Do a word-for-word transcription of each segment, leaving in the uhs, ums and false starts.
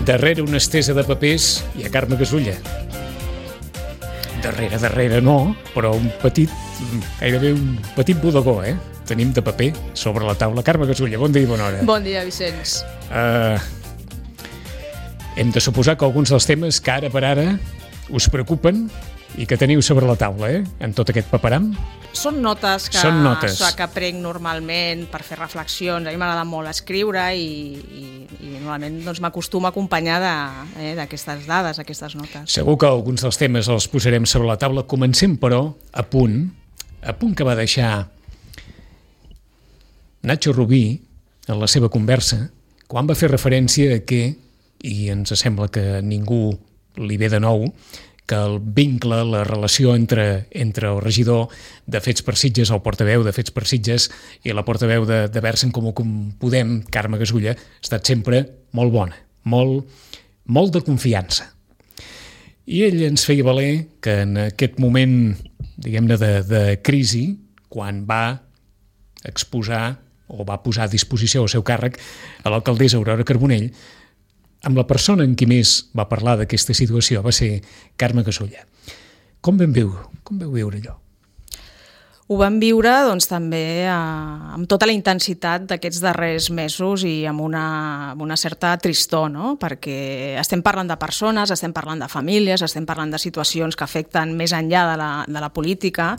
Darrere una estesa de papers hi ha Carme Gasulla. Darrere, darrere no, però un petit, gairebé un petit bodegó, eh? Tenim de paper sobre la taula. Carme Gasulla, bon dia i bona hora. Bon dia, Vicenç. Uh, hem de suposar que alguns dels temes que ara per ara us preocupen i que teniu sobre la taula, eh? En tot aquest paperam. Són notes que, Són notes. que prenc normalment per fer reflexions. A mi m'agrada molt escriure i, i, i normalment doncs, m'acostumo a acompanyar d'aquestes eh, dades, aquestes notes. Segur que alguns dels temes els posarem sobre la taula. Comencem, però, a punt, a punt que va deixar Nacho Rubí en la seva conversa, quan va fer referència a que, i ens sembla que ningú li ve de nou, que el vincle, la relació entre, entre el regidor de Fets per Sitges, el portaveu de Fets per Sitges i la portaveu de, de Vers en Comú Podem, Carme Gasulla, ha estat sempre molt bona, molt, molt de confiança. I ell ens feia valer que en aquest moment, diguem-ne, de, de crisi, quan va exposar o va posar a disposició el seu càrrec a l'alcaldessa Aurora Carbonell, amb la persona en qui més va parlar d'aquesta situació va ser Carme Gasulla. Com vam viure, com vau viure allò? Ho vam viure doncs, també eh, amb tota la intensitat d'aquests darrers mesos i amb una, amb una certa tristor, no? Perquè estem parlant de persones, estem parlant de famílies, estem parlant de situacions que afecten més enllà de la, de la política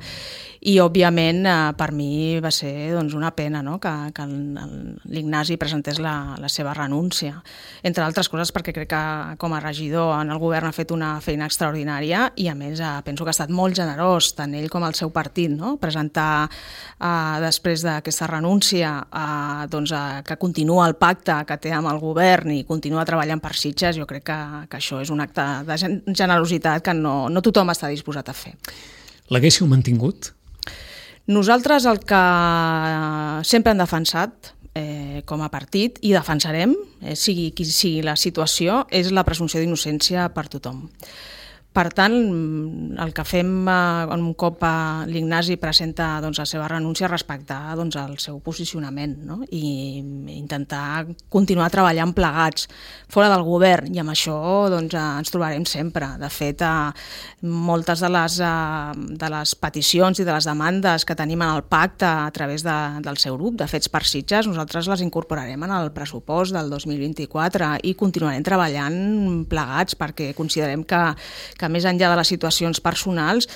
i, òbviament, eh, per mi va ser doncs, una pena, no? que, que l'Ignasi presentés la, la seva renúncia. Entre altres coses perquè crec que com a regidor en el govern ha fet una feina extraordinària i, a més, eh, penso que ha estat molt generós, tant ell com el seu partit, no? Presentar eh, després d'aquesta renúncia eh, doncs, eh, que continua el pacte que té amb el govern i continua treballant per Sitges, jo crec que, que això és un acte de generositat que no, no tothom està disposat a fer. L'haguéssiu mantingut? Nosaltres el que sempre hem defensat eh, com a partit i defensarem, eh, sigui qui sigui la situació, és la presumpció d'innocència per tothom. Per tant, el que fem eh, un cop eh, l'Ignasi presenta doncs, la seva renúncia, respectar doncs, el seu posicionament, no? I intentar continuar treballant plegats fora del govern, i amb això doncs, eh, ens trobarem sempre. De fet, eh, moltes de les, eh, de les peticions i de les demandes que tenim en el pacte a través de, del seu grup, de Fets per Sitges, nosaltres les incorporarem en el pressupost del dos mil vint-i-quatre i continuarem treballant plegats perquè considerem que, que que més enllà de les situacions personals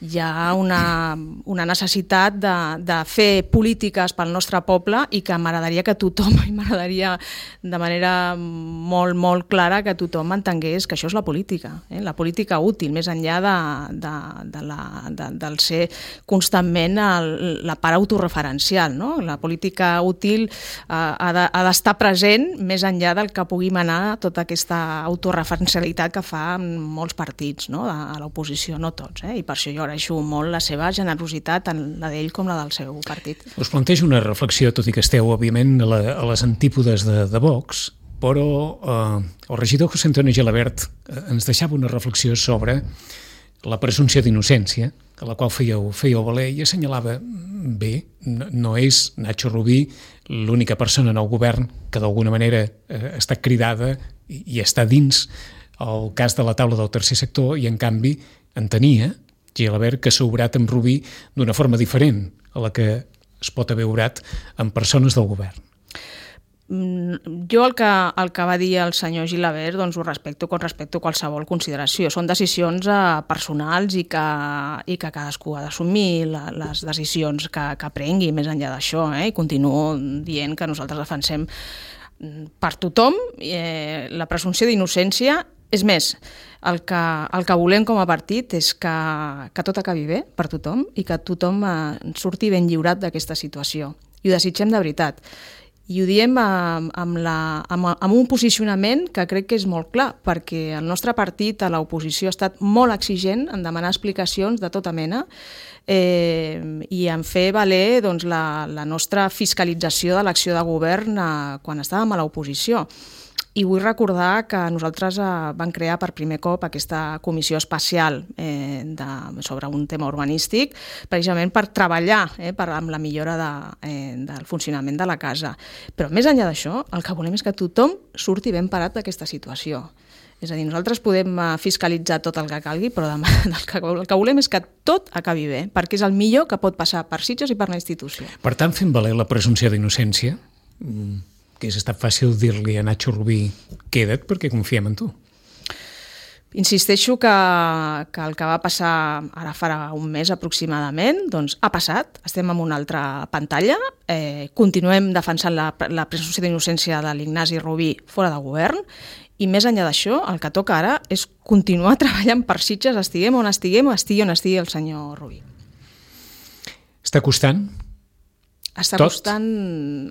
hi ha una, una necessitat de, de fer polítiques pel nostre poble i que m'agradaria que tothom, i m'agradaria de manera molt, molt clara que tothom entengués que això és la política, eh? La política útil, més enllà de, de, de la, de, del ser constantment el, la part autoreferencial, no? La política útil eh, ha de, ha d'estar present més enllà del que pugui manar tota aquesta autoreferencialitat que fa molts partits, no? A l'oposició, no tots, eh? I per això jo agraeixo molt la seva generositat, tant la d'ell com la del seu partit. Us plantejo una reflexió, tot i que esteu, òbviament, a, la, a les antípodes de, de Vox, però eh, el regidor José Antonio Gelabert eh, ens deixava una reflexió sobre la presumpció d'innocència, a la qual fèieu, fèieu valer i assenyalava bé, no, no és Nacho Rubí l'única persona en el govern que d'alguna manera eh, està cridada i, i està dins el cas de la taula del tercer sector i, en canvi, entenia Gelabert que s'ha obrat amb Rubí d'una forma diferent a la que es pot haver obrat amb persones del govern. Jo el que, el que va dir el senyor Gelabert doncs ho respecto com respecto a qualsevol consideració. Són decisions eh, personals i que, i que cadascú ha d'assumir la, les decisions que, que prengui més enllà d'això, eh? I continuo dient que nosaltres defensem per tothom eh, la presumpció d'innocència. És més, el que, el que volem com a partit és que, que tot acabi bé per tothom i que tothom eh, surti ben lliurat d'aquesta situació. I ho desitgem de veritat. I ho diem amb, amb, la, amb, amb un posicionament que crec que és molt clar, perquè el nostre partit a l'oposició ha estat molt exigent en demanar explicacions de tota mena eh, i en fer valer doncs, la, la nostra fiscalització de l'acció de govern eh, quan estàvem a l'oposició. I vull recordar que nosaltres eh, vam crear per primer cop aquesta comissió especial eh, de, sobre un tema urbanístic, precisament per treballar eh, per, amb la millora de, eh, del funcionament de la casa. Però més enllà d'això, el que volem és que tothom surti ben parat d'aquesta situació. És a dir, nosaltres podem fiscalitzar tot el que calgui, però demà, el, que, el que volem és que tot acabi bé, perquè és el millor que pot passar per Sitges i per la institució. Per tant, fent valer la presumpció d'innocència, que és estat fàcil dir-li a Nacho Rubí queda't perquè confiem en tu. Insisteixo que, que el que va passar ara farà un mes aproximadament, doncs ha passat, estem en una altra pantalla, eh, continuem defensant la, la presumpció d'innocència de l'Ignasi Rubí fora de govern, i més enllà d'això, el que toca ara és continuar treballant per Sitges, estiguem on estiguem, estigui on estigui el senyor Rubí. Està costant? Està tot? costant,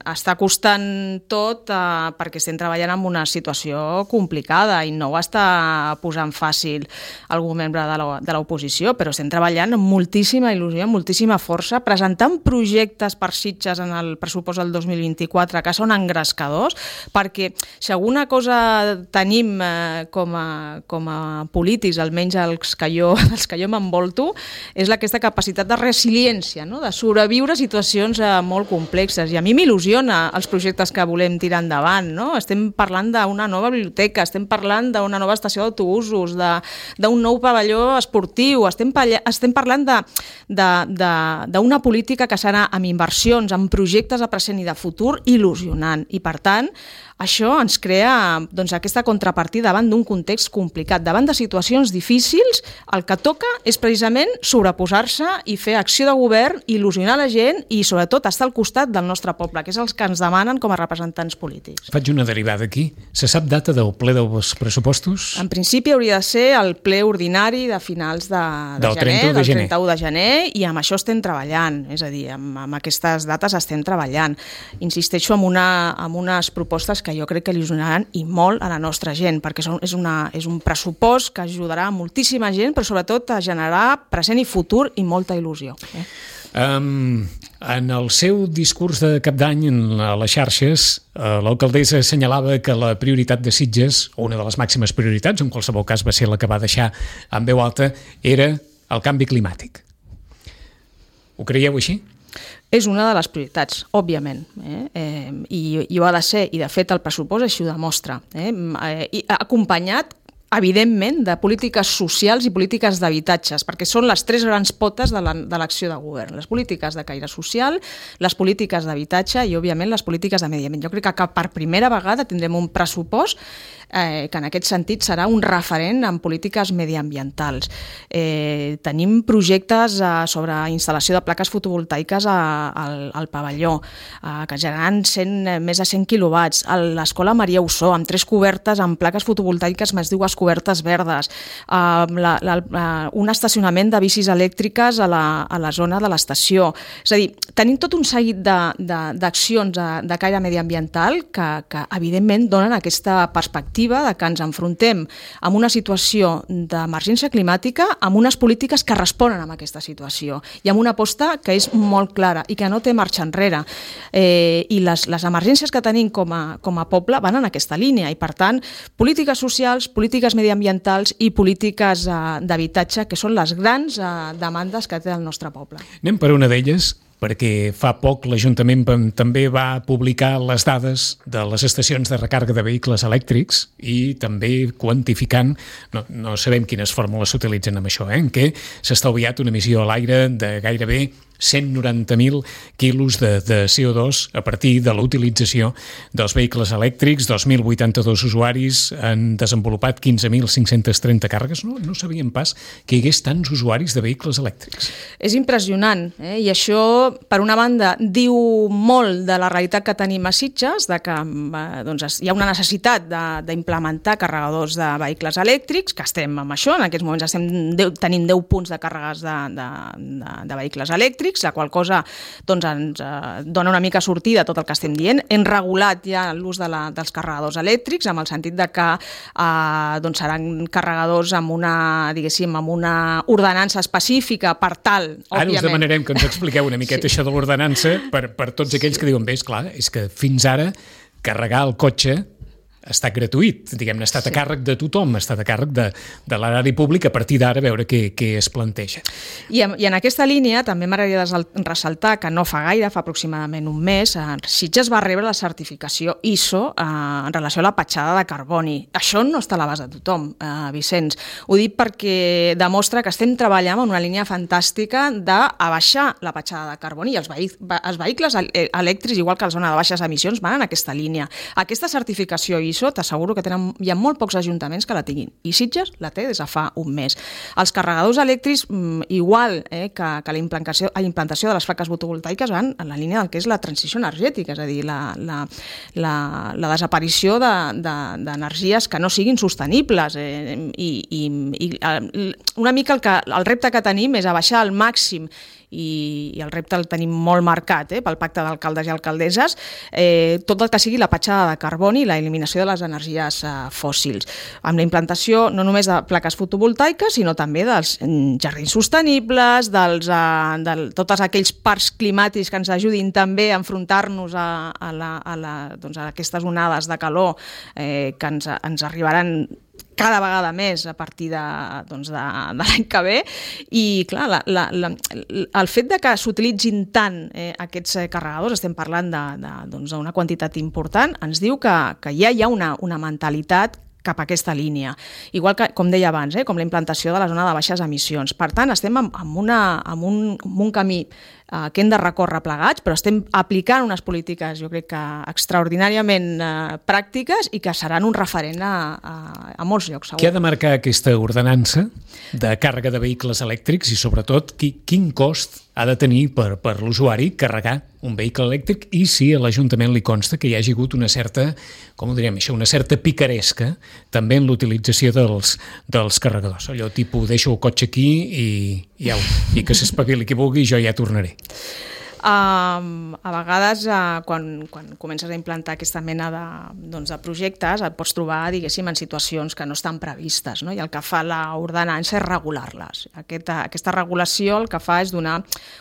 està costant tot eh, perquè estem treballant en una situació complicada i no ho està posant fàcil algun membre de l'oposició, però estem treballant amb moltíssima il·lusió, amb moltíssima força, presentant projectes per Sitges en el pressupost del dos mil vint-i-quatre que són engrescadors, perquè si alguna cosa tenim eh, com, a, com a polítics, almenys els que jo, els que jo m'envolto, és aquesta capacitat de resiliència, no? De sobreviure a situacions eh, molt complexes, i a mi m'il·lusiona els projectes que volem tirar endavant, no? Estem parlant d'una nova biblioteca, estem parlant d'una nova estació d'autobusos, d'un nou pavelló esportiu, estem, estem parlant d'una política que serà amb inversions, amb projectes de present i de futur il·lusionant, i per tant això ens crea doncs, aquesta contrapartida davant d'un context complicat, davant de situacions difícils. El que toca és precisament sobreposar-se i fer acció de govern, il·lusionar la gent i sobretot estar al costat del nostre poble, que és els que ens demanen com a representants polítics. Faig una derivada aquí. Se sap data del ple dels pressupostos? En principi hauria de ser el ple ordinari de finals de, de del gener, del trenta-u de gener, i amb això estem treballant, és a dir, amb, amb aquestes dates estem treballant. Insisteixo en, una, en unes propostes que jo crec que il·lusionaran i molt a la nostra gent, perquè són, és, una, és un pressupost que ajudarà a moltíssima gent, però sobretot a generar present i futur i molta il·lusió. Eh? Um, en el seu discurs de cap d'any a les xarxes, uh, l'alcaldessa assenyalava que la prioritat de Sitges, o una de les màximes prioritats, en qualsevol cas va ser la que va deixar en veu alta, era el canvi climàtic. Ho creieu així? És una de les prioritats, òbviament, eh? Eh, i, i ho ha de ser, i de fet el pressupost així ho demostra, eh? I acompanyat evidentment de polítiques socials i polítiques d'habitatges, perquè són les tres grans potes de l'acció de govern, les polítiques de caire social, les polítiques d'habitatge i, òbviament, les polítiques de medi ambient. Jo crec que per primera vegada tindrem un pressupost eh, que en aquest sentit serà un referent en polítiques mediambientals. Eh, tenim projectes eh, sobre instal·lació de plaques fotovoltaiques a, al, al pavelló, eh, que generen cent, més de cent quilowatts. A l'escola Maria Ossó, amb tres cobertes amb plaques fotovoltaiques més dues cobertes verdes, uh, la, la, la, un estacionament de bicis elèctriques a la, a la zona de l'estació. És a dir, tenim tot un seguit d'accions de, de, de caire mediambiental que, que evidentment donen aquesta perspectiva de que ens enfrontem amb una situació d'emergència climàtica, amb unes polítiques que responen a aquesta situació i amb una aposta que és molt clara i que no té marxa enrere. Eh, I les, les emergències que tenim com a, com a poble van en aquesta línia i, per tant, polítiques socials, polítiques mediambientals i polítiques eh, d'habitatge, que són les grans eh, demandes que té el nostre poble. Anem per una d'elles, perquè fa poc l'Ajuntament també va publicar les dades de les estacions de recàrrega de vehicles elèctrics i també quantificant, no, no sabem quines fórmules s'utilitzen amb això, eh, en què s'ha estalviat una emissió a l'aire de gairebé cent noranta mil quilos de, de C O dos a partir de la utilització dels vehicles elèctrics. dos mil vuitanta-dos usuaris han desenvolupat quinze mil cinc-cents trenta càrregues. No, no sabíem pas que hi hagués tants usuaris de vehicles elèctrics. És impressionant, eh? I això, per una banda, diu molt de la realitat que tenim a Sitges, de que eh, doncs, hi ha una necessitat d'implementar carregadors de vehicles elèctrics, que estem amb això, en aquests moments estem deu, tenim deu punts de càrregues de, de, de, de vehicles elèctrics, la qual cosa doncs, ens eh, dona una mica sortida a tot el que estem dient. Hem regulat ja l'ús de la, dels carregadors elèctrics, amb el sentit de que eh, doncs seran carregadors amb una, diguéssim, amb una ordenança específica per tal, òbviament. Ara us demanarem que ens expliqueu una miqueta sí. Això de l'ordenança per, per tots aquells sí. que diuen, bé, esclar, és que fins ara carregar el cotxe ha estat gratuït, diguem-ne, ha estat sí. a càrrec de tothom, ha estat a càrrec de, de l'erari públic, a partir d'ara veure què, què es planteja. I en, I en aquesta línia també m'agradaria ressaltar que no fa gaire, fa aproximadament un mes, Sitges va rebre la certificació I S O eh, en relació a la petjada de carboni. Això no està a l'abast de tothom, eh, Vicenç. Ho dic perquè demostra que estem treballant en una línia fantàstica d'abaixar la petjada de carboni i els, vehic els vehicles elèctrics, igual que la zona de baixes emissions, van en aquesta línia. Aquesta certificació I S O t'asseguro que tenen, hi ha molt pocs ajuntaments que la tinguin i Sitges la té des de fa un mes. Els carregadors elèctrics, igual eh, que, que la implantació, la implantació de les plaques fotovoltaiques, van en la línia del que és la transició energètica, és a dir, la, la, la, la desaparició d'energies de, de, que no siguin sostenibles. Eh, i, i, i una mica el, que, el repte que tenim és abaixar al màxim i, i el repte el tenim molt marcat eh, pel pacte d'alcaldes i alcaldesses, eh, tot el que sigui la petjada de carboni i la eliminació de les energies eh, fòssils, amb la implantació no només de plaques fotovoltaiques, sinó també dels jardins sostenibles, dels, eh, de tots aquells parcs climàtics que ens ajudin també a enfrontar-nos a, a, la, a, la, doncs a aquestes onades de calor eh, que ens, ens arribaran cada vegada més a partir de, doncs de, de l'any que ve. I clar, la, la, la, el fet de que s'utilitzin tant eh, aquests carregadors, estem parlant d'una doncs, quantitat important, ens diu que, que ja hi ha una, una mentalitat cap a aquesta línia. Igual que, com deia abans, eh, com la implantació de la zona de baixes emissions. Per tant, estem en, en, una, en, un, en un camí eh, que hem de recórrer plegats, però estem aplicant unes polítiques, jo crec que extraordinàriament eh, pràctiques i que seran un referent a, a, a molts llocs, segur. Què ha de marcar aquesta ordenança de càrrega de vehicles elèctrics i, sobretot, qui, quin cost ha de tenir per, per l'usuari carregar un vehicle elèctric i si a l'Ajuntament li consta que hi hagi hagut una certa, com ho diríem això, una certa picaresca també en l'utilització dels, dels carregadors. Allò tipus, deixo el cotxe aquí i, i, au, i que s'espavili qui vulgui i jo ja tornaré. Uh, a vegades, uh, quan, quan comences a implantar aquesta mena de, doncs, de projectes, et pots trobar, diguéssim, en situacions que no estan previstes, no? I el que fa l'ordenança és regular-les. Aquesta, aquesta regulació el que fa és donar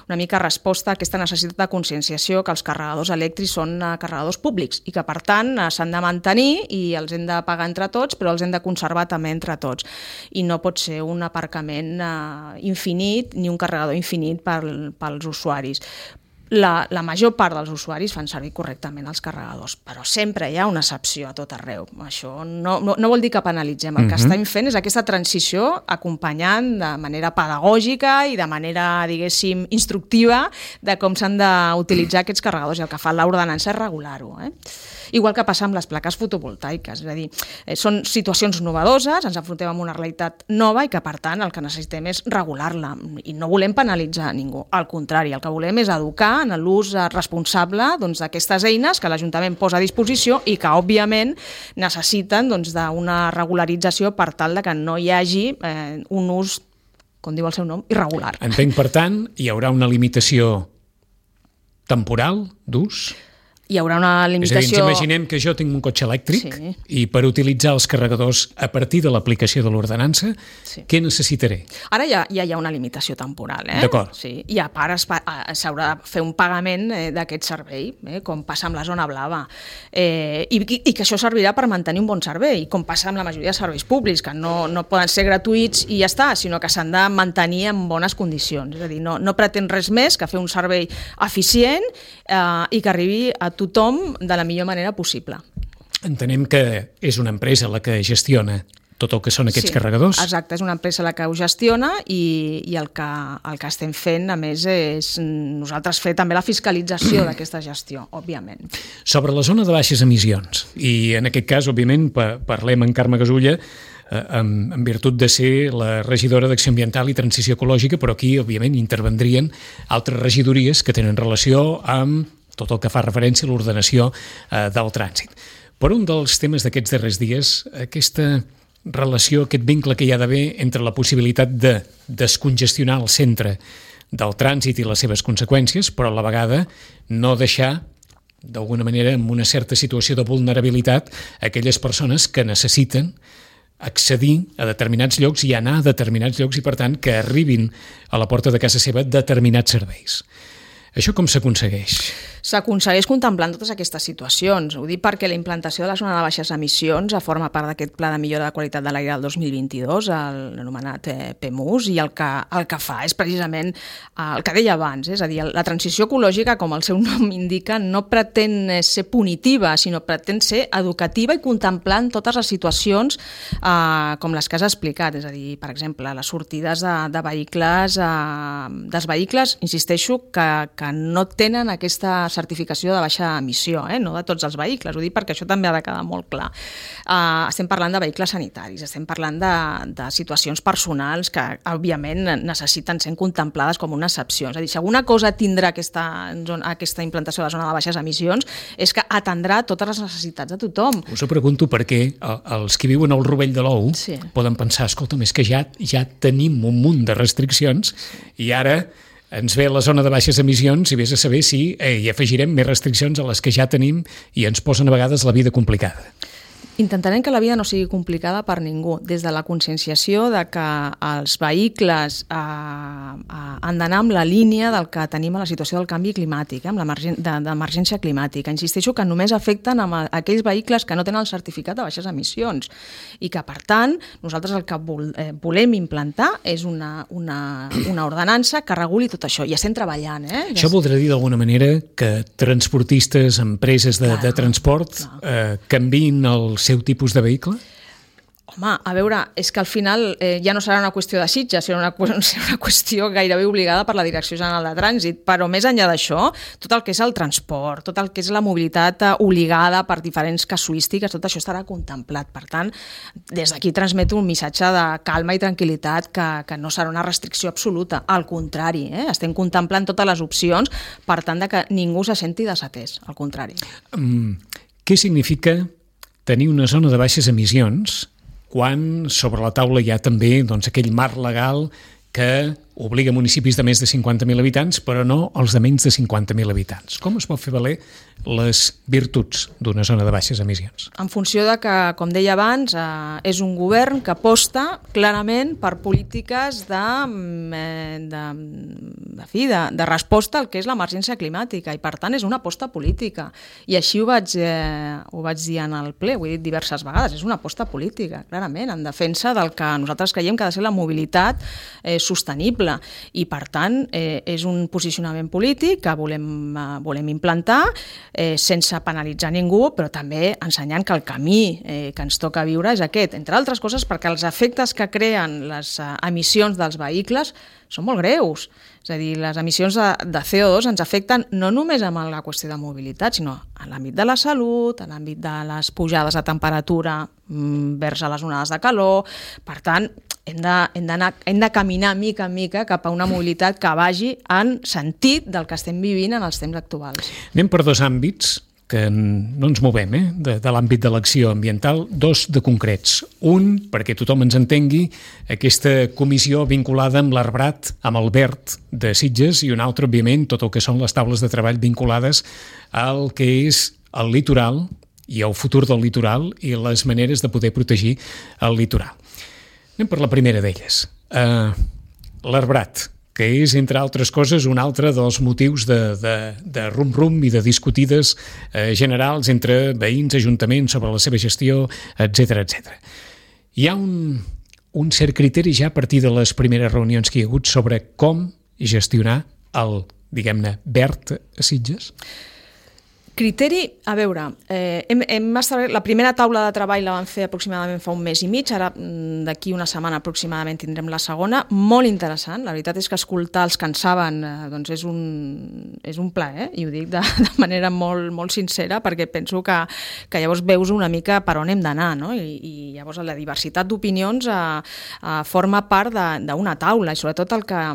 una mica resposta a aquesta necessitat de conscienciació que els carregadors elèctrics són uh, carregadors públics i que, per tant, uh, s'han de mantenir i els hem de pagar entre tots, però els hem de conservar també entre tots. I no pot ser un aparcament uh, infinit ni un carregador infinit pel, pels usuaris. La, la major part dels usuaris fan servir correctament els carregadors, però sempre hi ha una excepció a tot arreu. Això no, no, no vol dir que penalitzem. El que uh-huh. estem fent és aquesta transició acompanyant de manera pedagògica i de manera, diguéssim, instructiva de com s'han d'utilitzar aquests carregadors, i el que fa l'ordenança és regular-ho. Eh? Igual que passa amb les plaques fotovoltaiques, és a dir, eh, són situacions novedoses, ens enfrontem amb una realitat nova i que, per tant, el que necessitem és regular-la i no volem penalitzar a ningú. Al contrari, el que volem és educar en l'ús responsable doncs, d'aquestes eines que l'Ajuntament posa a disposició i que, òbviament, necessiten doncs, d'una regularització per tal de que no hi hagi eh, un ús, com diu el seu nom, irregular. Entenc, per tant, hi haurà una limitació temporal d'ús? Hi haurà una limitació... És a dir, ens imaginem que jo tinc un cotxe elèctric sí. i per utilitzar els carregadors a partir de l'aplicació de l'ordenança, sí. què necessitaré? Ara ja, ja hi ha una limitació temporal, eh? D'acord. Sí. I a part s'haurà de fer un pagament eh, d'aquest servei, eh? com passa amb la zona blava. Eh, i, I que això servirà per mantenir un bon servei, com passa amb la majoria de serveis públics, que no, no poden ser gratuïts i ja està, sinó que s'han de mantenir en bones condicions. És a dir, no, no pretén res més que fer un servei eficient eh, i que arribi a tothom de la millor manera possible. Entenem que és una empresa la que gestiona tot el que són aquests sí, carregadors? Exacte, és una empresa la que ho gestiona i, i el, que, el que estem fent, a més, és nosaltres fer també la fiscalització d'aquesta gestió, òbviament. Sobre la zona de baixes emissions, i en aquest cas, òbviament, parlem amb Carme Gasulla, en, en virtut de ser la regidora d'Acció Ambiental i Transició Ecològica, però aquí, òbviament, intervendrien altres regidories que tenen relació amb tot el que fa referència a l'ordenació eh, del trànsit. Per un dels temes d'aquests darrers dies, aquesta relació, aquest vincle que hi ha d'haver entre la possibilitat de descongestionar el centre del trànsit i les seves conseqüències, però a la vegada no deixar, d'alguna manera, en una certa situació de vulnerabilitat, aquelles persones que necessiten accedir a determinats llocs i anar a determinats llocs i, per tant, que arribin a la porta de casa seva determinats serveis. Això com s'aconsegueix? s'aconsegueix contemplant totes aquestes situacions. Ho dic perquè la implantació de la zona de baixes emissions forma part d'aquest pla de millora de qualitat de l'aire del dos mil vint-i-dos, l'anomenat P E M U S, i el que, el que fa és precisament el que deia abans, és a dir, la transició ecològica, com el seu nom indica, no pretén ser punitiva, sinó pretén ser educativa i contemplant totes les situacions eh, com les que has explicat, és a dir, per exemple, les sortides de, de vehicles, eh, dels vehicles, insisteixo, que, que no tenen aquesta certificació de baixa emissió, eh? No de tots els vehicles, ho dic perquè això també ha de quedar molt clar. Eh, estem parlant de vehicles sanitaris, estem parlant de, de situacions personals que, òbviament, necessiten ser contemplades com una excepció. És a dir, si alguna cosa tindrà aquesta, aquesta implantació de la zona de baixes emissions és que atendrà totes les necessitats de tothom. Us ho pregunto perquè els que viuen al rovell de l'ou sí. poden pensar, escolta'm, és que ja, ja tenim un munt de restriccions i ara ens ve la zona de baixes emissions i vés a saber si eh, hi afegirem més restriccions a les que ja tenim i ens posen a vegades la vida complicada. Intentarem que la vida no sigui complicada per ningú, des de la conscienciació de que els vehicles eh, eh, han d'anar amb la línia del que tenim a la situació del canvi climàtic, eh, amb l'emergència climàtica. Insisteixo que només afecten amb aquells vehicles que no tenen el certificat de baixes emissions i que, per tant, nosaltres el que vol, eh, volem implantar és una, una, una ordenança que reguli tot això. I estem treballant. Eh? Això voldrà dir d'alguna manera que transportistes, empreses de, de transport eh, canviïn el seu tipus de vehicle? Home, a veure, és que al final eh, ja no serà una qüestió de Sitges, serà una, serà una qüestió gairebé obligada per la Direcció General de Trànsit, però més enllà d'això, tot el que és el transport, tot el que és la mobilitat obligada per diferents casuístiques, tot això estarà contemplat. Per tant, des d'aquí transmeto un missatge de calma i tranquil·litat que, que no serà una restricció absoluta, al contrari, eh? Estem contemplant totes les opcions per tant de que ningú se senti desatès, al contrari. Um, què significa tenir una zona de baixes emissions quan sobre la taula hi ha també doncs, aquell marc legal que obliga municipis de més de cinquanta mil habitants, però no els de menys de cinquanta mil habitants. Com es pot fer valer les virtuts d'una zona de baixes emissions? En funció de que, com deia abans, eh, és un govern que aposta clarament per polítiques de, de, de, fi, de, de resposta al que és l'emergència climàtica i, per tant, és una aposta política. I així ho vaig, eh, ho vaig dir en el ple, ho he dit diverses vegades, és una aposta política, clarament, en defensa del que nosaltres creiem que ha de ser la mobilitat eh, sostenible. I, per tant, eh, és un posicionament polític que volem, eh, volem implantar eh, sense penalitzar ningú, però també ensenyant que el camí eh, que ens toca viure és aquest, entre altres coses perquè els efectes que creen les eh, emissions dels vehicles són molt greus. És a dir, les emissions de, de C O dos ens afecten no només amb la qüestió de mobilitat, sinó en l'àmbit de la salut, en l'àmbit de les pujades de temperatura mm, vers a les onades de calor. Per tant, hem de, hem d'anar, hem de caminar mica en mica cap a una mobilitat que vagi en sentit del que estem vivint en els temps actuals. Anem per dos àmbits que no ens movem, eh? de, de l'àmbit de l'acció ambiental, dos de concrets. Un, perquè tothom ens entengui, aquesta comissió vinculada amb l'Arbrat, amb el Verd de Sitges, i un altre, òbviament, tot el que són les taules de treball vinculades al que és el litoral i el futur del litoral i les maneres de poder protegir el litoral. Anem per la primera d'elles. Uh, L'Arbrat, que és, entre altres coses, un altre dels motius de, de, de rum-rum i de discutides eh, generals entre veïns, ajuntaments, sobre la seva gestió, etcètera, etcètera. Hi ha un, un cert criteri ja a partir de les primeres reunions que hi ha hagut sobre com gestionar el, diguem-ne, verd a Sitges? Criteri, a veure, eh, hem, hem establert, la primera taula de treball la vam fer aproximadament fa un mes i mig, ara d'aquí una setmana aproximadament tindrem la segona, molt interessant, la veritat és que escoltar els que en saben eh, doncs és un, és un plaer, eh? I ho dic de, de manera molt, molt sincera perquè penso que, que llavors veus una mica per on hem d'anar, no? I, i llavors la diversitat d'opinions eh, eh, forma part d'una taula i sobretot el que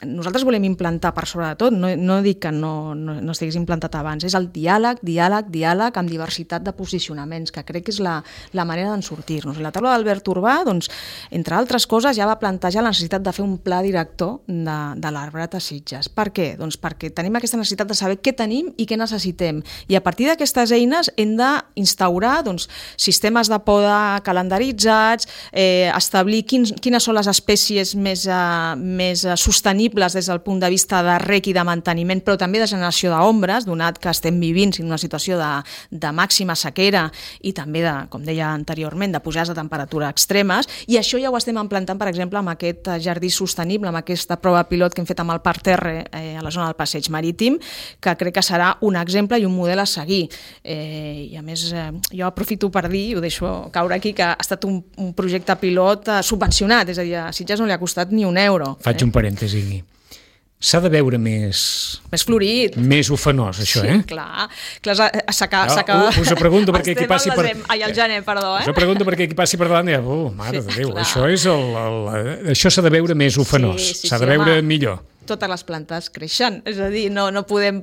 nosaltres volem implantar per sobre de tot, no, no dic que no, no, no estigués implantat abans, és el diàleg diàleg, diàleg, diàleg, amb diversitat de posicionaments, que crec que és la, la manera d'en sortir-nos. La taula d'Albert Urbà, doncs, entre altres coses, ja va plantejar la necessitat de fer un pla director de, de l'arbrat a Sitges. Per què? Doncs perquè tenim aquesta necessitat de saber què tenim i què necessitem. I a partir d'aquestes eines hem d'instaurar doncs, sistemes de poda calendaritzats, eh, establir quins, quines són les espècies més, eh, més sostenibles des del punt de vista de rec i de manteniment, però també de generació d'ombres, donat que estem vivint en una situació de, de màxima sequera i també, de, com deia anteriorment, de pujades de temperatura extremes, i això ja ho estem implantant, per exemple, amb aquest jardí sostenible, amb aquesta prova pilot que hem fet amb el Parc Terre eh, a la zona del Passeig Marítim, que crec que serà un exemple i un model a seguir. Eh, I a més, eh, jo aprofito per dir, i ho deixo caure aquí, que ha estat un, un projecte pilot eh, subvencionat, és a dir, a Sitges no li ha costat ni un euro. Faig eh? un parèntesi. S'ha de veure més... Més florit. Més ofenós, això, sí, eh? Sí, clar. clar s'acaba... No, us ho pregunto perquè qui passi per... Ai, al gener, perdó, eh? Us ho pregunto perquè qui passi per davant i... Oh, mare sí, de Déu, clar. això és el... el això s'ha de veure més ofenós. Sí, sí, s'ha sí, de veure home. millor. Totes les plantes creixen, és a dir, no, no, podem,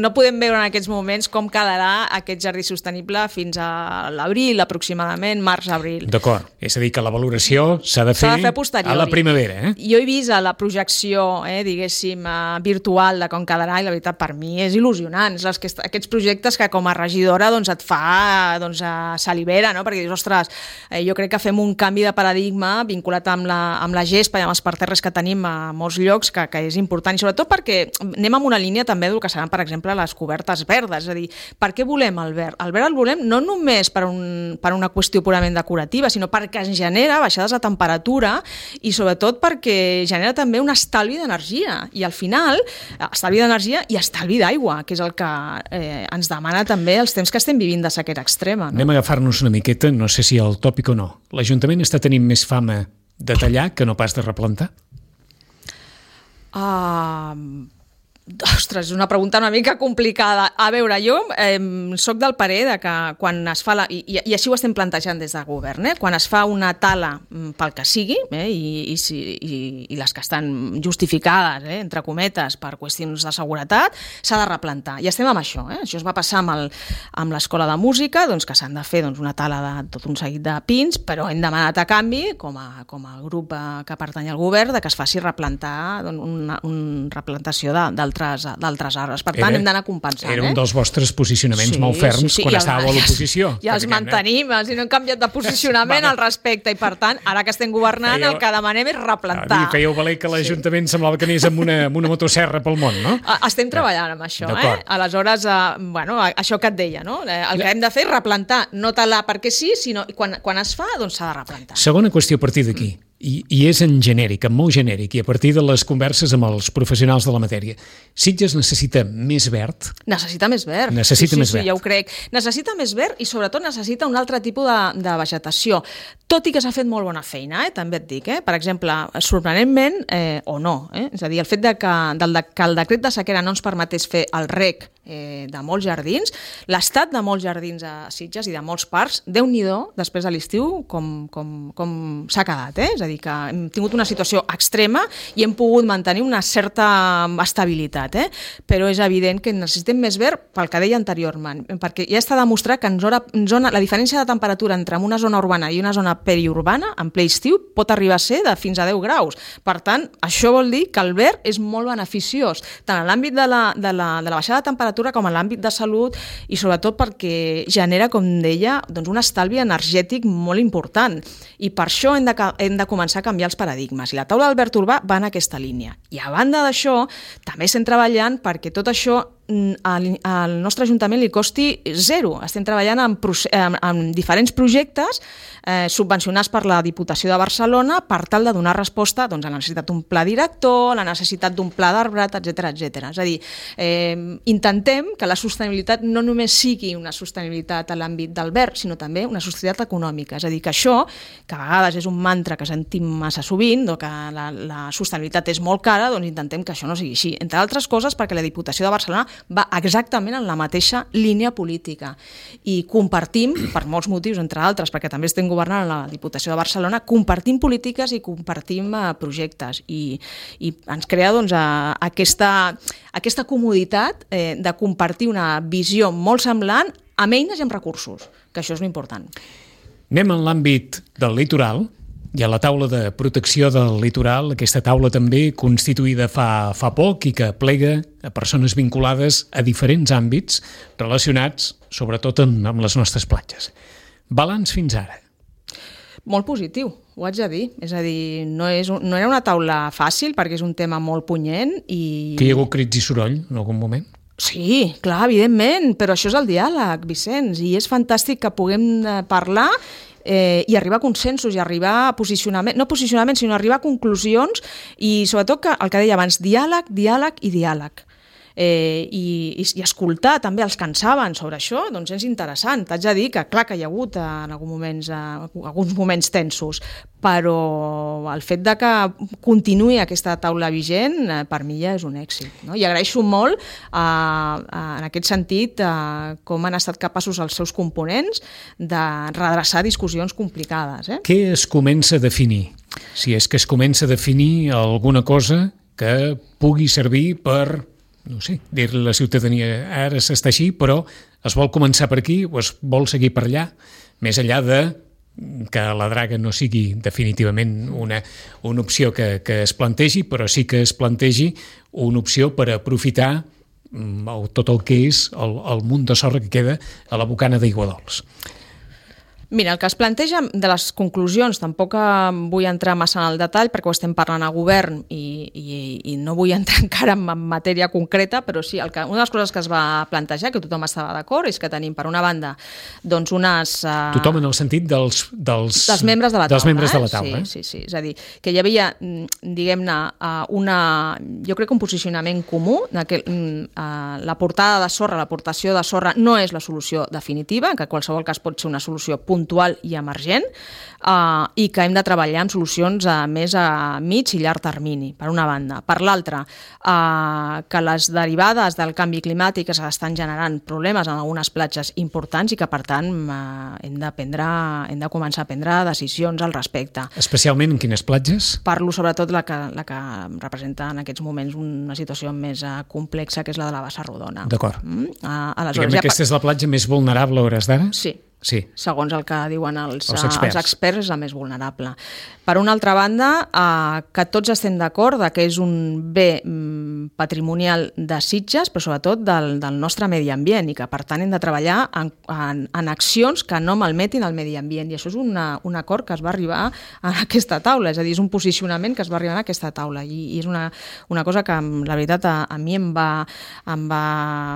no podem veure en aquests moments com quedarà aquest jardí sostenible fins a l'abril, aproximadament, març-abril. D'acord, és a dir, que la valoració s'ha de fer, de fer a la primavera. Eh? Jo he vist a la projecció, eh, diguéssim, virtual de com quedarà i la veritat per mi és il·lusionant. És les que, aquests projectes que com a regidora doncs, et fa doncs, salivera, no? Perquè dius, ostres, eh, jo crec que fem un canvi de paradigma vinculat amb la, amb la gespa i amb els parterres que tenim a molts llocs, que, que és important, i sobretot perquè anem amb una línia també del que seran, per exemple, les cobertes verdes, és a dir, per què volem el verd? El verd el volem no només per, un, per una qüestió purament decorativa, sinó perquè ens genera baixades de temperatura i sobretot perquè genera també un estalvi d'energia, i al final estalvi d'energia i estalvi d'aigua, que és el que eh, ens demana també els temps que estem vivint de sequera extrema. No? Anem a agafar-nos una miqueta, no sé si el tòpic o no. L'Ajuntament està tenint més fama de tallar que no pas de replantar? Uh, ostres, és una pregunta una mica complicada. A veure, jo eh, soc del parer de que quan es fa la, i, i així ho estem plantejant des del govern, eh, quan es fa una tala pel que sigui, eh, i, i, i, i les que estan justificades, eh, entre cometes, per qüestions de seguretat, s'ha de replantar. I estem amb això. Eh? Això es va passar amb, el, amb l'Escola de Música, doncs, que s'han de fer doncs, una tala de tot un seguit de pins, però hem demanat a canvi, com a, com a grup eh, que pertany al govern, de que es faci replantar doncs, una, una replantació d'altres d'altres arbres. Per tant, era, hem d'anar compensant. Era un eh? dels vostres posicionaments sí, molt ferms sí, sí. quan I estàveu a l'oposició. Ja els mantenim, els no hem canviat de posicionament al respecte, i per tant, ara que estem governant, fèieu, el que demanem és replantar. I fèieu valer que l'Ajuntament sí. semblava que anés amb una, amb una motosserra pel món, no? Estem treballant amb això, eh? Aleshores, eh, bueno, això que et deia, no? El que hem de fer és replantar, no talar perquè sí, sinó quan, quan es fa, doncs s'ha de replantar. Segona qüestió a partir d'aquí. Mm. I, i és en genèric, en molt genèric, i a partir de les converses amb els professionals de la matèria. Sitges necessita més verd? Necessita més verd. Necessita sí, més sí, verd. Sí, ja ho crec. Necessita més verd i sobretot necessita un altre tipus de, de vegetació. Tot i que s'ha fet molt bona feina, eh? també et dic. Eh? Per exemple, sorprenentment, eh, o no, eh? és a dir, el fet de que, del de, que el decret de sequera no ens permetés fer el rec eh, de molts jardins, l'estat de molts jardins a Sitges i de molts parcs, Déu-n'hi-do, després de l'estiu, com, com, com s'ha quedat. Eh? És a dir, que hem tingut una situació extrema i hem pogut mantenir una certa estabilitat, eh? però és evident que necessitem més verd pel que deia anteriorment, perquè ja està demostrat que en zona, en zona, la diferència de temperatura entre una zona urbana i una zona periurbana, en ple estiu, pot arribar a ser de fins a deu graus. Per tant, això vol dir que el verd és molt beneficiós, tant en l'àmbit de la, de la, de la baixada de temperatura com en l'àmbit de salut, i sobretot perquè genera, com deia, doncs un estalvi energètic molt important. I per això hem de, hem de començar a canviar els paradigmes. I la taula d'Albert Urbà va en aquesta línia. I a banda d'això, també estem treballant perquè tot això al, al nostre Ajuntament li costi zero. Estem treballant en, en, en diferents projectes eh, subvencionats per la Diputació de Barcelona per tal de donar resposta doncs, a la necessitat d'un pla director, a la necessitat d'un pla d'arbrat, etcètera, etcètera. És a dir, eh, intentem que la sostenibilitat no només sigui una sostenibilitat a l'àmbit del verd, sinó també una sostenibilitat econòmica. És a dir, que això, que a vegades és un mantra que sentim massa sovint, o que la, la sostenibilitat és molt cara, doncs intentem que això no sigui així. Entre altres coses perquè la Diputació de Barcelona va exactament en la mateixa línia política. I compartim, per molts motius, entre altres, perquè també estem governant a la Diputació de Barcelona, compartim polítiques i compartim uh, projectes. I, i ens crea doncs, uh, aquesta, aquesta comoditat eh, de compartir una visió molt semblant amb eines i amb recursos, que això és important. Anem en l'àmbit del litoral. Hi ha la taula de protecció del litoral, aquesta taula també constituïda fa, fa poc i que plega a persones vinculades a diferents àmbits relacionats, sobretot amb, amb les nostres platges. Balanç fins ara. Molt positiu, ho haig de dir. És a dir, no, és un, no era una taula fàcil perquè és un tema molt punyent i... Que hi ha hagut crits i soroll en algun moment? Sí, clar, evidentment, però això és el diàleg, Vicenç, i és fantàstic que puguem parlar eh, i arribar a consensos i arribar a posicionament, no posicionament, sinó arribar a conclusions i sobretot que, el que deia abans, diàleg, diàleg i diàleg. Eh, i, i, i escoltar també els que en saben sobre això, doncs és interessant. T'haig de dir que clar que hi ha hagut en alguns moments, eh, alguns moments tensos, però el fet de que continuï aquesta taula vigent eh, per mi ja és un èxit. No? I agraeixo molt eh, eh, en aquest sentit eh, com han estat capaços els seus components de redreçar discussions complicades. Eh? Què es comença a definir? Si és que es comença a definir alguna cosa que pugui servir per... no sé, dir-li a la ciutadania ara s'està així, però es vol començar per aquí o es vol seguir per allà, més enllà de que la draga no sigui definitivament una, una opció que, que es plantegi, però sí que es plantegi una opció per aprofitar tot el que és el, el munt de sorra que queda a la bocana d'Aiguadols. Mira, el que es planteja de les conclusions, tampoc vull entrar massa en el detall perquè ho estem parlant a govern i, i, i no vull entrar encara en matèria concreta, però sí, el que, una de les coses que es va plantejar, que tothom estava d'acord, és que tenim per una banda doncs unes... Uh, tothom en el sentit dels, dels, dels membres de la taula. Dels membres de la taula. Eh? Sí, sí, sí, és a dir, que hi havia, diguem-ne, una, jo crec que un posicionament comú, que uh, la portada de sorra, l'aportació de sorra no és la solució definitiva, que en qualsevol cas pot ser una solució puntual puntual i emergent eh, i que hem de treballar amb solucions a més a mig i llarg termini, per una banda. Per l'altra, eh, que les derivades del canvi climàtic estan generant problemes en algunes platges importants i que, per tant, eh, hem de prendre, hem de començar a prendre decisions al respecte. Especialment en quines platges? Parlo sobretot la que, la que representa en aquests moments una situació més eh, complexa, que és la de la Bassa Rodona. D'acord. Mm? Eh, Diguem que aquesta és la platja més vulnerable a hores d'ara? Sí. Sí. Segons el que diuen els, els, experts. els experts, és la més vulnerable. Per una altra banda, eh, que tots estem d'acord que és un bé mm, patrimonial de Sitges, però sobretot del, del nostre medi ambient, i que per tant hem de treballar en, en, en accions que no malmetin el medi ambient, i això és una, un acord que es va arribar a aquesta taula, és a dir, és un posicionament que es va arribar a aquesta taula, i, i és una, una cosa que la veritat a, a mi em va, em va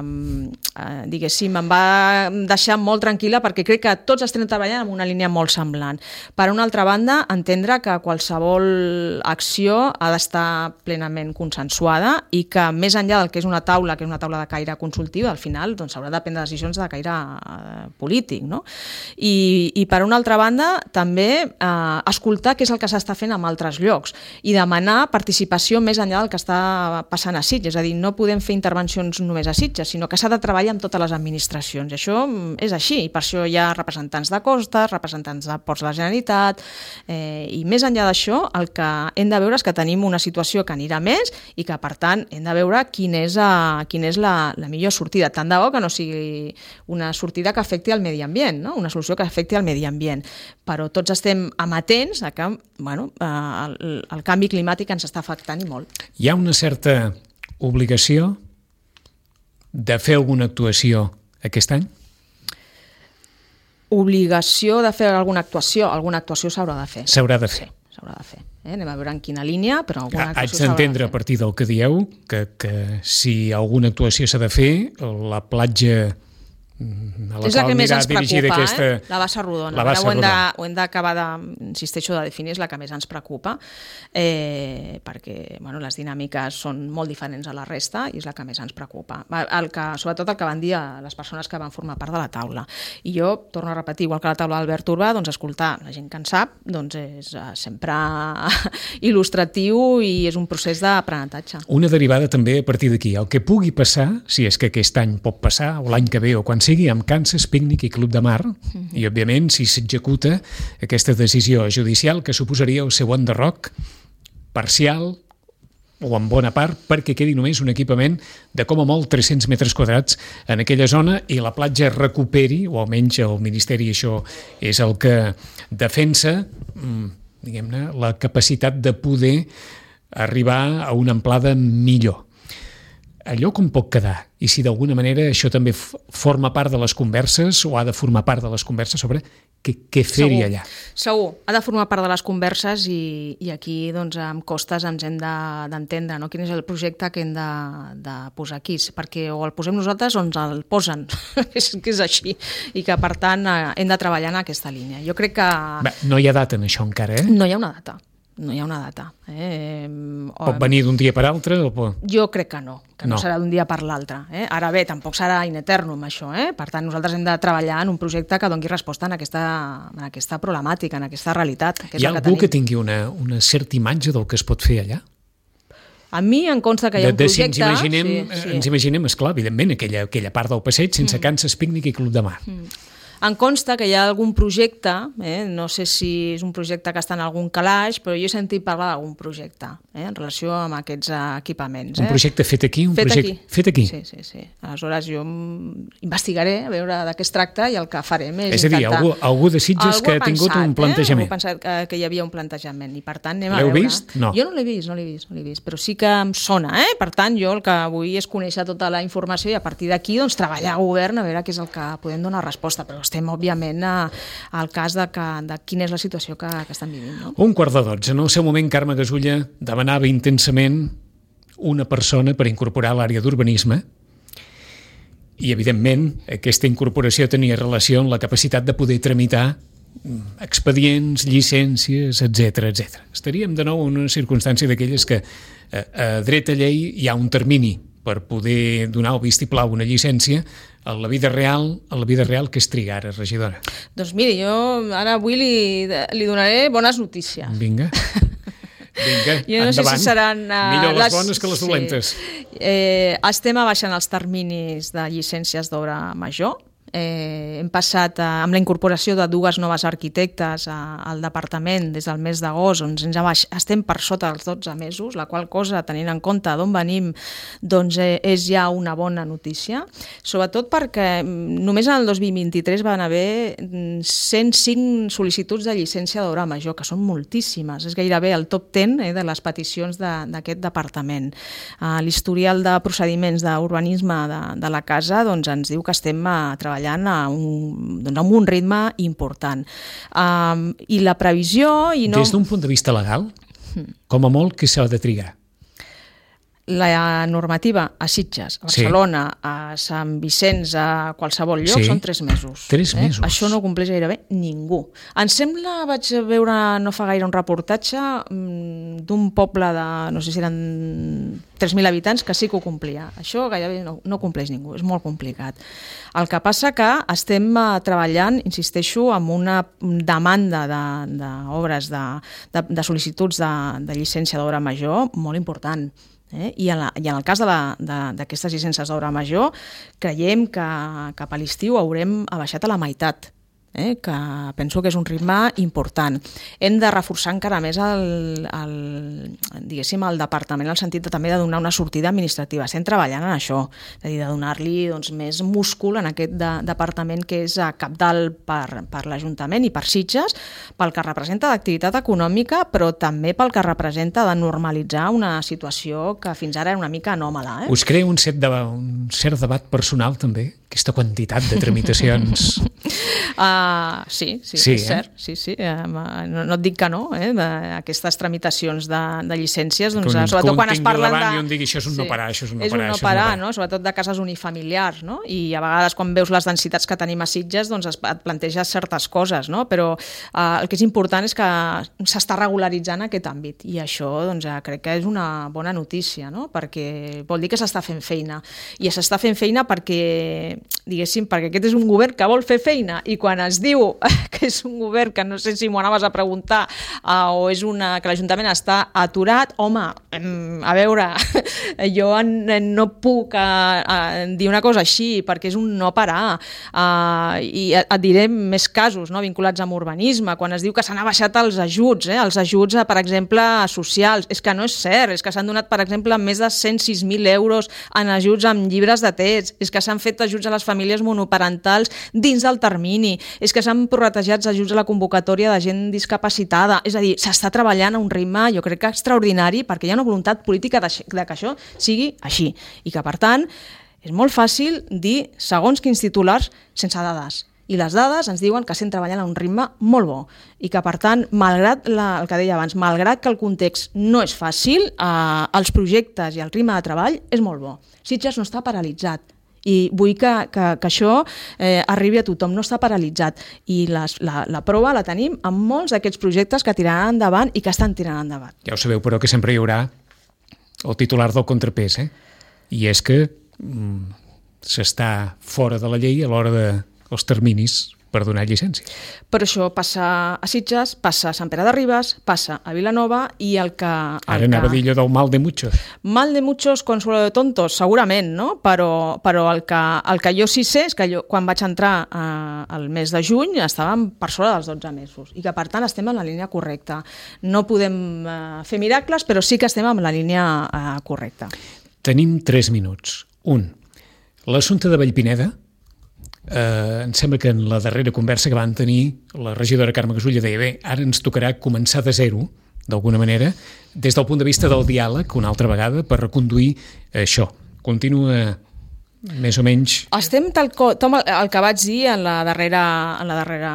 eh, diguéssim, em va deixar molt tranquil·la, perquè crec que tots estem treballant en una línia molt semblant. Per una altra banda, entendre que qualsevol acció ha d'estar plenament consensuada i que més enllà del que és una taula, que és una taula de caire consultiu, al final doncs, s'haurà de prendre decisions de caire eh, polític. No? I, I per una altra banda, també eh, escoltar què és el que s'està fent en altres llocs i demanar participació més enllà del que està passant a Sitges. És a dir, no podem fer intervencions només a Sitges, sinó que s'ha de treballar amb totes les administracions. I això és així, i per això hi ha representants de costes, representants de Ports de la Generalitat, eh, i més enllà d'això, el que hem de veure és que tenim una situació que anirà més i que, per tant, hem de veure quina és, a, quina és la, la millor sortida. Tant de bo que no sigui una sortida que afecti al medi ambient, no? Una solució que afecti al medi ambient. Però tots estem amatents a que bueno, eh, el, el canvi climàtic ens està afectant i molt. Hi ha una certa obligació de fer alguna actuació aquest any? Obligació de fer alguna actuació, alguna actuació s'haurà de fer. S'haurà de fer. Sí, s'haurà de fer. Eh? Anem a veure en quina línia, però alguna actuació s'haurà de fer. Haig d'entendre a partir del que dieu que, que si alguna actuació s'ha de fer, la platja a la és la qual que més anirà ens dirigida preocupa, aquesta... eh? La bassa rodona. La bassa Ara ho hem de- rodona. ho hem d'acabar de, insisteixo, de definir, és la que més ens preocupa, eh, perquè bueno, les dinàmiques són molt diferents a la resta i és la que més ens preocupa. El que, sobretot el que van dir a les persones que van formar part de la taula. I jo, torno a repetir, igual que la taula d'Albert Urbà, doncs escoltar la gent que en sap doncs és eh, sempre il·lustratiu i és un procés d'aprenentatge. Una derivada també a partir d'aquí. El que pugui passar, si és que aquest any pot passar, o l'any que ve, o quan sigui, amb Kansas, Pícnic i Club de Mar, mm-hmm. i, òbviament, si s'executa aquesta decisió judicial que suposaria el seu enderroc parcial o en bona part perquè quedi només un equipament de com a molt tres-cents metres quadrats en aquella zona i la platja recuperi, o almenys el Ministeri això és el que defensa, diguem-ne, la capacitat de poder arribar a una amplada millor. Allò com pot quedar? I si d'alguna manera això també forma part de les converses o ha de formar part de les converses sobre què, què fer-hi allà? Segur, ha de formar part de les converses i, i aquí doncs, amb costes ens hem d'entendre de, no? Quin és el projecte que hem de, de posar aquí, perquè o el posem nosaltres o ens el posen, és que és així, i que per tant hem de treballar en aquesta línia. Jo crec que... Bé, no hi ha data en això encara, eh? No hi ha una data. No hi ha una data. Eh? Pot venir d'un dia per altre? O pot... Jo crec que no, que no, no. serà d'un dia per l'altre. Eh? Ara bé, tampoc serà in eternum això. Eh? Per tant, nosaltres hem de treballar en un projecte que doni resposta en aquesta, en aquesta problemàtica, en aquesta realitat. Que és Hi ha que algú tenim. que tingui una, una certa imatge del que es pot fer allà? A mi em consta que hi ha de, un de projecte... Si ens imaginem, sí, sí. ens imaginem, esclar, evidentment, aquella, aquella part del passeig sense mm. Kansas, Pícnic i Club de Mar. Mm. Em consta que hi ha algun projecte, eh? No sé si és un projecte que està en algun calaix, però jo he sentit parlar d'algun projecte eh? en relació amb aquests equipaments. Un eh? projecte fet aquí? Un fet projecte... aquí. Fet aquí? Sí, sí, sí. Aleshores jo investigaré a veure de què es tracta i el que farem és, és a dir, intentar... algú, algú de Sitges algú que ha tingut pensat, un plantejament. Eh? Algú ha pensat que, que hi havia un plantejament i per tant anem a L'heu veure. vist? No. Jo no l'he vist, no l'he vist, no l'he vist, però sí que em sona, eh? Per tant jo el que vull és conèixer tota la informació i a partir d'aquí doncs, treballar a govern a veure què és el que podem donar resposta, però estem òbviament a al cas de, que, de quina és la situació que, que estan vivint. No? Un quart de dotze. En el seu moment, Carme Gasulla demanava intensament una persona per incorporar l'àrea d'urbanisme i, evidentment, aquesta incorporació tenia relació amb la capacitat de poder tramitar expedients, llicències, etcètera, etcètera. Estaríem de nou en una circumstància d'aquelles que a, a dreta llei hi ha un termini per poder donar el vistiplau a una llicència. A la vida real, a la vida real, què es triga ara, regidora? Doncs miri, jo ara avui li, li donaré bones notícies. Vinga. Vinga, jo no endavant. sé si seran... Uh, Millor les, les bones que les dolentes. Sí. Eh, estem abaixant els terminis de llicències d'obra major. Eh, hem passat a, amb la incorporació de dues noves arquitectes a, al departament des del mes d'agost, on ens abaix, estem per sota dels dotze mesos, la qual cosa, tenint en compte d'on venim, doncs eh, és ja una bona notícia, sobretot perquè només en el dos mil vint-i-tres van haver cent cinc sol·licituds de llicència d'obra major, que són moltíssimes, és gairebé el top deu eh, de les peticions d'aquest de, departament. Uh, l'historial de procediments d'urbanisme de, de la casa doncs, ens diu que estem a treballar a un, doncs amb un ritme important. Um, I la previsió... I no... Des d'un punt de vista legal, com a molt, què s'ha de trigar? La normativa a Sitges, a Barcelona, sí. a Sant Vicenç, a qualsevol lloc, sí. són tres mesos. Tres mesos. Eh? Això no ho compleix gairebé ningú. Em sembla, vaig veure no fa gaire un reportatge d'un poble de, no sé si eren tres mil habitants, que sí que ho complia. Això gairebé no, no compleix ningú, és molt complicat. El que passa que estem treballant, insisteixo, amb una demanda d'obres, de, de, de, de sol·licituds de, de llicència d'obra major molt important. Eh? I, en la, I en el cas d'aquestes llicències d'obra major, creiem que cap a l'estiu haurem abaixat a la meitat, eh? que penso que és un ritme important. Hem de reforçar encara més el, el, diguéssim, el departament en el sentit de, també de donar una sortida administrativa. Estem treballant en això, és a dir, de donar-li doncs, més múscul en aquest de, departament que és cabdal per, per l'Ajuntament i per Sitges, pel que representa d'activitat econòmica, però també pel que representa de normalitzar una situació que fins ara era una mica anòmala. Eh? Us crea un, set de, un cert debat personal també, aquesta quantitat de tramitacions? Uh, sí, sí, sí, és eh? cert. Sí, sí. Uh, no, no et dic que no, eh? Aquestes tramitacions de, de llicències, doncs, un, sobretot quan es parlen de... I un digui, això és un sí, no parar, això és un no és parar. És un no parar, no? Sobretot de cases unifamiliars, no? I a vegades quan veus les densitats que tenim a Sitges, doncs et planteges certes coses, no? Però uh, el que és important és que s'està regularitzant aquest àmbit i això, doncs, crec que és una bona notícia, no? Perquè vol dir que s'està fent feina. I s'està fent feina perquè, diguéssim, perquè aquest és un govern que vol fer feina i quan es diu que és un govern que no sé si m'ho anaves a preguntar uh, o és una que l'Ajuntament està aturat, home, a veure, jo no puc uh, uh, dir una cosa així perquè és un no parar uh, i et diré més casos, no, vinculats amb urbanisme, quan es diu que s'han abaixat els ajuts, eh, els ajuts, per exemple, socials, és que no és cert, és que s'han donat, per exemple, més de cent sis mil euros en ajuts amb llibres de text, és que s'han fet ajuts a les famílies monoparentals dins del termini, és que s'han prorratejat ajuts a la convocatòria de gent discapacitada, és a dir, s'està treballant a un ritme, jo crec que extraordinari, perquè hi ha una voluntat política de, de que això sigui així, i que, per tant, és molt fàcil dir segons quins titulars sense dades. I les dades ens diuen que estem treballant a un ritme molt bo i que, per tant, malgrat la, el que deia abans, malgrat que el context no és fàcil, eh, els projectes i el ritme de treball és molt bo. Sitges no està paralitzat i vull que, que, que això eh, arribi a tothom, no està paralitzat. I les, la, la prova la tenim amb molts d'aquests projectes que tiraran endavant i que estan tirant endavant. Ja ho sabeu, però que sempre hi haurà el titular del contrapès, eh? I és que mm, s'està fora de la llei a l'hora de els terminis per donar llicència. Però això passa a Sitges, passa a Sant Pere de Ribes, passa a Vilanova i el que... El Ara anava que... a dir allò del mal de muchos. Mal de muchos, consuelo de tontos, segurament, no? Però, però el, que, el que jo sí sé és que jo, quan vaig entrar eh, al mes de juny estàvem per sobre dels dotze mesos i que, per tant, estem en la línia correcta. No podem eh, fer miracles, però sí que estem en la línia eh, correcta. Tenim tres minuts. Un, l'assumpte de Vallpineda. Eh, em sembla que en la darrera conversa que van tenir la regidora Carme Gasulla deia bé, ara ens tocarà començar de zero d'alguna manera, des del punt de vista del diàleg una altra vegada per reconduir això. Continua més o menys... Estem tal com el, el que vaig dir en la darrera, en la darrera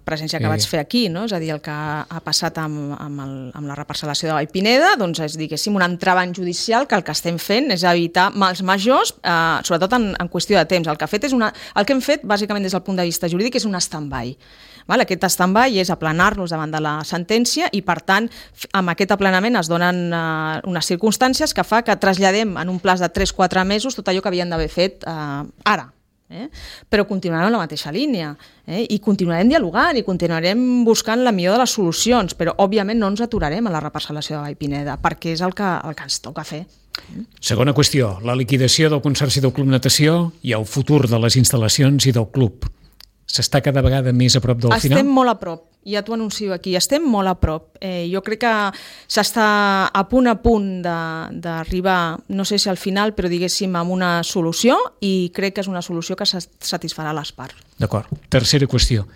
presència que eh. vaig fer aquí, no? És a dir, el que ha passat amb, amb, el, amb la reparcel·lació de Vallpineda, doncs és, diguéssim, un entravant judicial que el que estem fent és evitar mals majors, eh, sobretot en, en qüestió de temps. El que, ha fet és una, el que hem fet, bàsicament des del punt de vista jurídic, és un stand-by. Val? Aquest stand-by és aplanar-nos davant de la sentència i, per tant, amb aquest aplanament es donen eh, unes circumstàncies que fa que traslladem en un plaç de tres a quatre mesos tot allò que havien d'haver fet eh, ara. Eh? Però continuarem en la mateixa línia eh? I continuarem dialogant i continuarem buscant la millor de les solucions, però òbviament no ens aturarem a la reparcel·lació de Vallpineda perquè és el que, el que ens toca fer. Segona qüestió, la liquidació del Consorci del Club Natació i el futur de les instal·lacions i del club. S'està cada vegada més a prop del estem final? Estem molt a prop, ja t'ho anuncio aquí, estem molt a prop. Eh, jo crec que s'està a punt a punt d'arribar, no sé si al final, però diguéssim amb una solució i crec que és una solució que satisfarà les parts. D'acord. Tercera qüestió.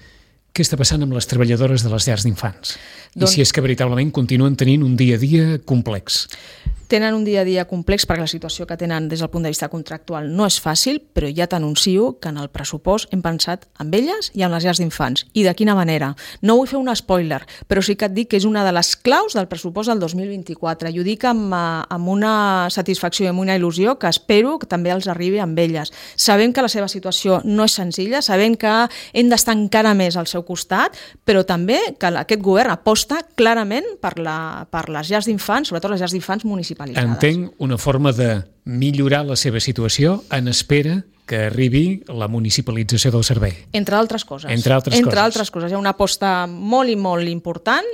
Què està passant amb les treballadores de les llars d'infants? Doncs... I si és que veritablement continuen tenint un dia a dia complex? Tenen un dia a dia complex perquè la situació que tenen des del punt de vista contractual no és fàcil, però ja t'anuncio que en el pressupost hem pensat en elles i en les llars d'infants. I de quina manera? No vull fer un spoiler, però sí que et dic que és una de les claus del pressupost del dos mil vint-i-quatre. I ho dic amb, amb una satisfacció i amb una il·lusió que espero que també els arribi amb elles. Sabem que la seva situació no és senzilla, sabem que hem d'estar encara més al seu costat, però també que aquest govern aposta clarament per, la, per les llars d'infants, sobretot les llars d'infants municipals. Entenc una forma de millorar la seva situació en espera que arribi la municipalització del servei. Entre altres coses. Entre altres Entre coses. altres coses. Hi ha una aposta molt i molt important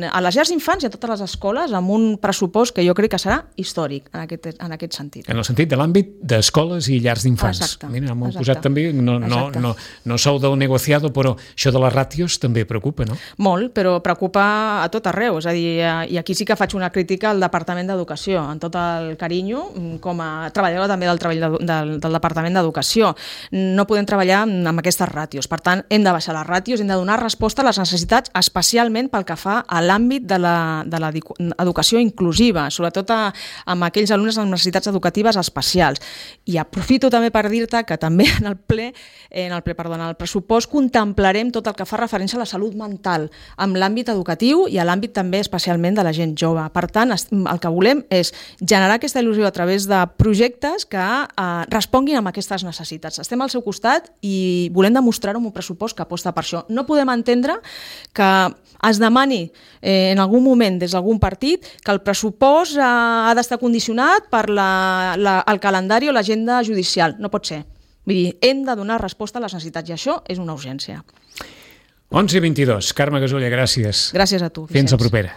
a les llars d'infants i a totes les escoles amb un pressupost que jo crec que serà històric en aquest, en aquest sentit. En el sentit de l'àmbit d'escoles i llars d'infants. Exacte. Mira, m'ho he exacte. posat també, no, no, no, no sou del negociado, però això de les ràtios també preocupa, no? Molt, però preocupa a tot arreu. És a dir, i aquí sí que faig una crítica al Departament d'Educació, en tot el carinyo, com a treballadora també del, treball del, del Departament d'Educació. d'educació. No podem treballar amb aquestes ràtios. Per tant, hem de baixar les ràtios, hem de donar resposta a les necessitats, especialment pel que fa a l'àmbit de l'educació inclusiva, sobretot a, amb aquells alumnes amb necessitats educatives especials. I aprofito també per dir-te que també en el ple, en el ple, perdó, en el pressupost contemplarem tot el que fa referència a la salut mental amb l'àmbit educatiu i a l'àmbit també especialment de la gent jove. Per tant, el que volem és generar aquesta il·lusió a través de projectes que eh, responguin amb aquestes necessitats. Estem al seu costat i volem demostrar-ho amb un pressupost que aposta per això. No podem entendre que es demani eh, en algun moment des d'algun partit que el pressupost eh, ha d'estar condicionat per la, la, el calendari o l'agenda judicial. No pot ser. Vull dir, hem de donar resposta a les necessitats i això és una urgència. onze i vint-i-dos. Carme Gasolla, gràcies. Gràcies a tu, Vicenç. Fins la propera.